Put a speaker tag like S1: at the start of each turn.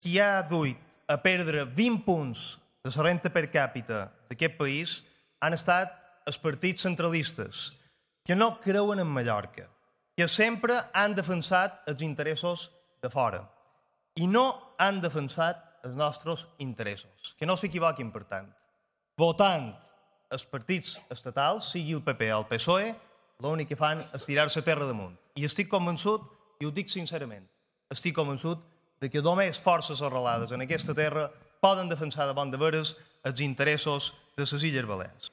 S1: qui ha duit a perdre 20 punts de la renta per càpita d'aquest país han estat els partits centralistes, que no creuen en Mallorca, que sempre han defensat els interessos de fora i no han defensat els nostres interessos. Que no s'equivoquin, per tant. Votant els partits estatals, sigui el PP o el PSOE, l'únic que fan és tirar-se a terra damunt. I estic convençut, i ho dic sincerament, estic convençut de que només forces arrelades en aquesta terra poden defensar de bon de veres els interessos de les Illes Balears.